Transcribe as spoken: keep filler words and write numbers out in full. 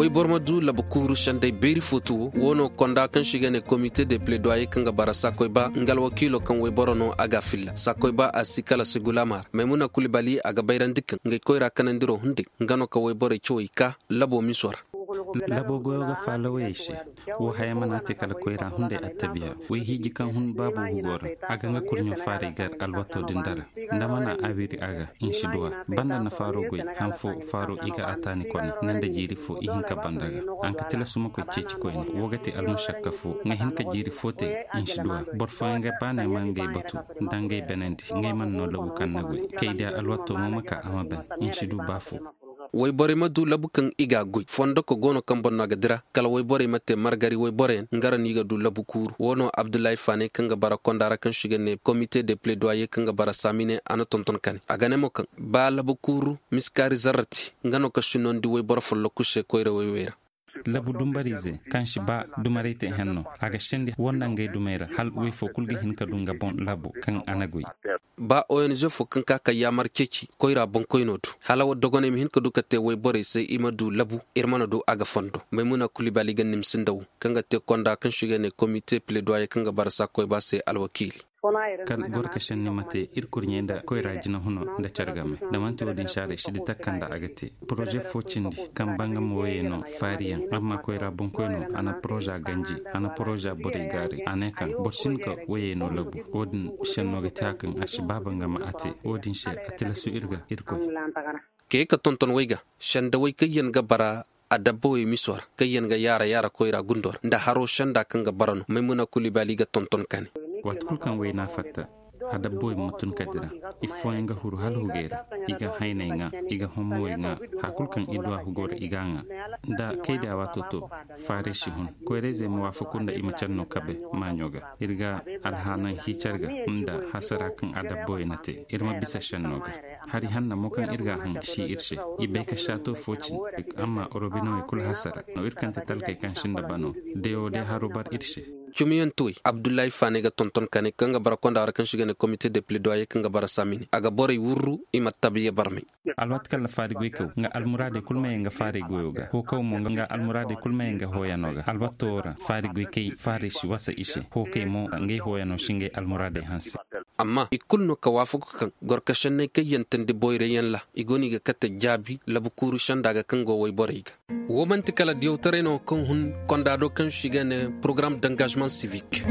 Wayboro ma du labu kuuru sendey beeri fo tuwo wo no konda kaŋ se i ga ne komite de pledoyer kaŋ ga bara sakoy ba nga alwakiilo kaŋ wayboro no a ga a filla sakoy ba a si kala segulama ra maymuna kulibali a ga bayrandi kaŋ ngey koyra kanandiro hunday nga no ka wayborey cawey ka labo miso ra. Labo goyo ga faala wayey se. Wo haya mana te kala koyra hunday attabiya. Way hiiji kaŋ hun baabo hugo ra a ga nga kurɲo faaray gar alwato din dara. Nda mana a wiri a ga, i si duwa. Banda na faaro goy han fo faaro i ga a taani kone nanda jiiri fo i hinka banda ga. An ka tilasu ma koy ceeci koyne wo ga te almušakka fo nga hinka jiiri fo te. I si duwa. Boro fooyaŋ ga baanay ma ngey batu nda ngey benandi ngey mana no labu kaŋ na goy. Kay diya alwato mo ma ka a ma ben. I si du ba fo. Wayborey ma du labu kaŋ i ga a goy fondo ka go no kaŋ boŋ no a ga dira kala wayborey ma te margari wayboroyaŋ nga ra no i ga du labu kuuru wo no abdullahi faanay kaŋ ga bara konda ra kaŋ se i ga ne komite de pledoyer kaŋ ga bara saamine a na tonton kane a ga ne mo kaŋ ba labu kuuru miskaari zarrati nga no ka sinnondi wayboro folloku se koyra wayway ra. Labu dumbariize kaŋ si ba dumaray te henno a ga sendi wonda ngey dumey ra hala way fo kulu ga hin ka du nga boŋ labo kaŋ a na goy. Ba ong fo kaŋ ka ka yaamar ceeci koyra boŋkoyno do hala dogoney ma hin ka du ka te wayborey se i ma du labu iri mana du a ga fondo maymuna kulibali ga nimsi nda wo kaŋ ga te konda kaŋ se i ga ne komite pledoyer kaŋ ga bara sakoy ba se alwakiili. Kala goro ka senni ma te iri kurɲey nda koyra jina huno nda care game da manti wo-din se a day si di takka nda a ga te. Poroze fo cindi kaŋ bangam wayey no faariyaŋ amma koyra boŋkoyno a na poroza ganji a na poroza borey gaaray a ne kaŋ boro si hin ka wayey no labu. Wo-din senno ga te a kaŋ a si ba bangama a te wo-din se a tilasu iri ga irkoy. Kay ka tonton way ga sendawey kaŋ yaŋ ga bara adabbawey miso ra kaŋ yaŋ ga yaara yaara koyra gundo ra nda haro senda kaŋ ga bara no maymuna kulibali ga tonton kane. Waati kulu kaŋ wayna fatta adabbawey ma tun ka dira. Ifooyaŋ ga huru hala hugey ra i ga hayney ŋwa i ga hommowey ŋwa. Haya kulu kaŋ i du a hugo ra i ga a ŋwa nda kay da waato to. Faaray si hun koyrayzey ma waafaku nda i ma care no kabe maaɲo ga. Iri ga alhaanaŋ hiicar ga nda hasara kaŋ adabbawey na te iri ma bisa senno ga. Hari hanna mo kaŋ iri ga a haŋ si iri se. I bay ka saato fo cine amma robinowey kulu hasara no iri kaŋ te talkey kaŋ sinda bano. Day wo day haro bar iri se. Cumiyantuwey abdullahi faanay ga tonton kane kaŋ ga bara konda ra kaŋ si ga ne komite de pledoyer kaŋ ga bara samini a ga borey wurru i ma tabiya barmay. Alwaati kaŋ na faari goykaw nga almuraadey kulu ma ye nga faarey goyo ga hokaw mo nga almuraadey kulu ma ye nga hooyano ga alwaato wo ra faari goykey faarey si wasa i se. Hookey mo ngey hooyano si ngey almuraadey hanse. Amma i kulu no ka waafaku kaŋ gorkasenney kaŋ yantandi boyray yaŋ ra i go no i ga kate jaabi labu kuuru sanda ga kaŋ go wayborey ga. Wo manti kala diyawtaray no kaŋ hun konda do kaŋ se i ga ne porogaram d'engagement civique.